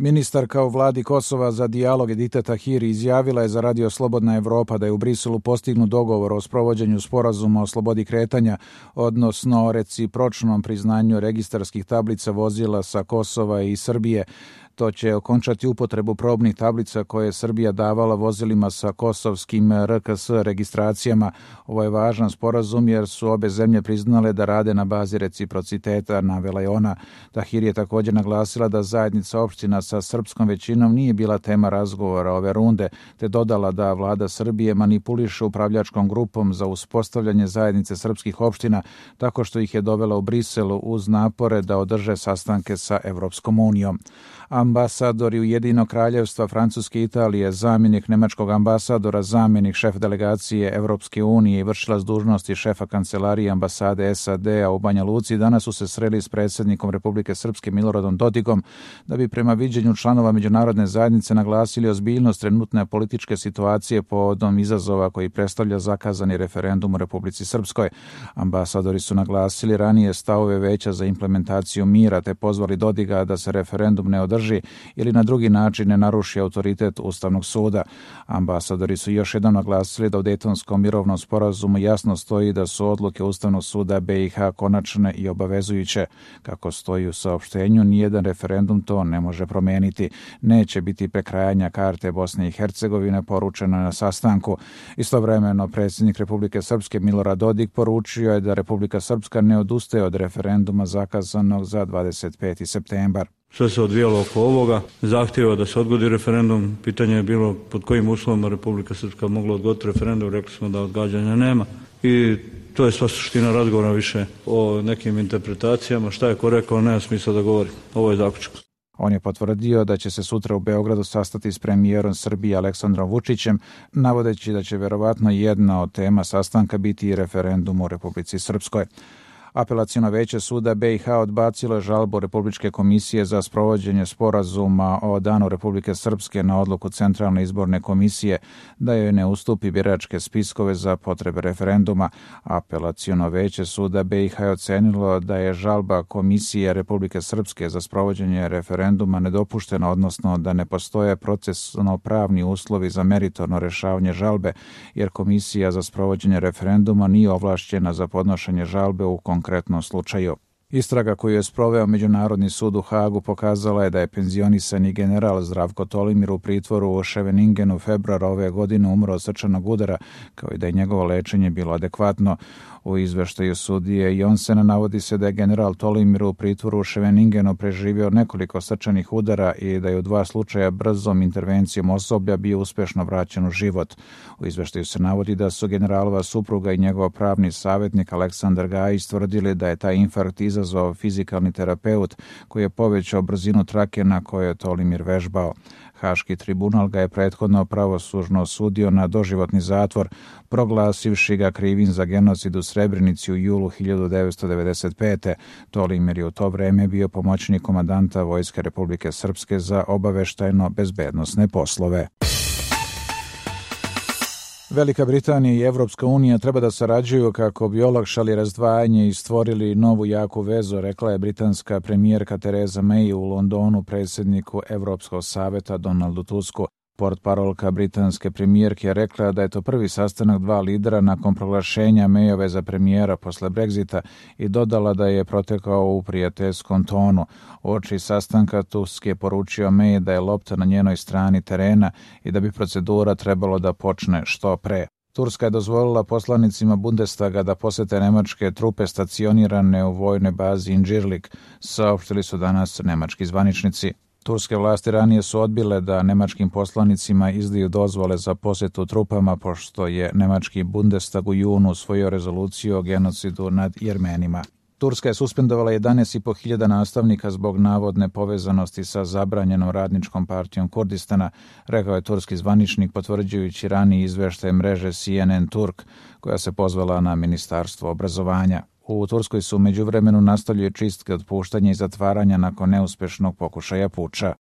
Ministarka u vladi Kosova za dijalog Edita Tahiri izjavila je za Radio Slobodna Evropa da je u Briselu postignut dogovor o sprovođenju sporazuma o slobodi kretanja, odnosno o recipročnom priznanju registarskih tablica vozila sa Kosova i Srbije. To će okončati upotrebu probnih tablica koje je Srbija davala vozilima sa kosovskim RKS registracijama. Ovo je važan sporazum jer su obe zemlje priznale da rade na bazi reciprociteta, navela je ona. Tahiri je također naglasila da zajednica opština sa srpskom većinom nije bila tema razgovora ove runde, te dodala da vlada Srbije manipuliše upravljačkom grupom za uspostavljanje zajednice srpskih opština tako što ih je dovela u Briselu uz napore da održe sastanke sa Evropskom unijom. Ambasadori Ujedinjenog kraljevstva Francuske i Italije, zamjenik nemačkog ambasadora, zamjenik šef delegacije Evropske unije i vršilac dužnosti šefa kancelarije ambasade SAD-a u Banja Luci danas su se sreli s predsjednikom Republike Srpske Miloradom Dodikom da bi prema viđenju članova međunarodne zajednice naglasili ozbiljnost trenutne političke situacije povodom izazova koji predstavlja zakazani referendum u Republici Srpskoj. Ambasadori su naglasili ranije stavove Veća za implementaciju mira te pozvali Dodiga da se referendum ne održi ili na drugi način ne naruši autoritet Ustavnog suda. Ambasadori su još jednom naglasili da u Dejtonskom mirovnom sporazumu jasno stoji da su odluke Ustavnog suda BiH konačne i obavezujuće. Kako stoji u saopštenju, nijedan referendum to ne može promeniti. Neće biti prekrajanja karte Bosne i Hercegovine, poručeno na sastanku. Istovremeno, predsjednik Republike Srpske Milorad Dodik poručio je da Republika Srpska ne odustaje od referenduma zakazanog za 25. septembar. Sve se odvijalo oko ovoga, zahtjeva da se odgodi referendum, pitanje je bilo pod kojim uslovima Republika Srpska mogla odgoditi referendum, rekli smo da odgađanja nema i to je sva suština razgovora, više o nekim interpretacijama, šta je ko rekao, nema smisla da govori, ovo je zaključak. On je potvrdio da će se sutra u Beogradu sastati s premijerom Srbije Aleksandrom Vučićem, navodeći da će verovatno jedna od tema sastanka biti i referendum u Republici Srpskoj. Apelaciono veće suda BiH odbacilo je žalbu Republičke komisije za sprovođenje sporazuma o danu Republike Srpske na odluku Centralne izborne komisije da joj ne ustupi biračke spiskove za potrebe referenduma. Apelaciono veće suda BiH je ocenilo da je žalba Komisije Republike Srpske za sprovođenje referenduma nedopuštena, odnosno da ne postoje procesno-pravni uslovi za meritorno rešavanje žalbe, jer Komisija za sprovođenje referenduma nije ovlašćena za podnošenje žalbe u konkretnom slučaju. Istraga koju je sproveo Međunarodni sud u Hagu pokazala je da je penzionisani general Zdravko Tolimir u pritvoru u Scheveningenu februara ove godine umro od srčanog udara, kao i da je njegovo lečenje bilo adekvatno. U izveštaju sudije Jonsena navodi se da je general Tolimir u pritvoru u Scheveningenu preživio nekoliko srčanih udara i da je u 2 slučaja brzom intervencijom osoblja bio uspešno vraćen u život. U izveštaju se navodi da su generalova supruga i njegov pravni savjetnik Aleksandar Gajić tvrdili da je taj infarkt izazvao fizikalni terapeut koji je povećao brzinu trake na kojoj je Tolimir vežbao. Haški tribunal ga je prethodno pravosuđno osudio na doživotni zatvor, proglasivši ga krivim za genocid u Srebrenici u julu 1995. Tolimir je u to vreme bio pomoćnik komandanta Vojske Republike Srpske za obaveštajno-bezbednosne poslove. Velika Britanija i Evropska unija treba da sarađuju kako bi olakšali razdvajanje i stvorili novu jaku vezu, rekla je britanska premijerka Theresa May u Londonu predsjedniku Evropskog saveta Donaldu Tusku. Portparolka britanske premijerke je rekla da je to prvi sastanak 2 lidera nakon proglašenja Mayove za premijera posle Brexita i dodala da je protekao u prijateljskom tonu. Uoči sastanka Tusk je poručio May da je lopta na njenoj strani terena i da bi procedura trebalo da počne što pre. Turska je dozvolila poslanicima Bundestaga da posete nemačke trupe stacionirane u vojnoj bazi Incirlik, saopštili su danas nemački zvaničnici. Turske vlasti ranije su odbile da nemačkim poslanicima izdaju dozvole za posjetu trupama, pošto je nemački Bundestag u junu usvojio rezoluciju o genocidu nad Jermenima. Turska je suspendovala 11.500 nastavnika zbog navodne povezanosti sa zabranjenom radničkom partijom Kurdistana, rekao je turski zvaničnik potvrđujući raniji izveštaj mreže CNN Turk, koja se pozvala na Ministarstvo obrazovanja. U Turskoj su u međuvremenu nastavljaju čistke, otpuštanja i zatvaranja nakon neuspešnog pokušaja puča.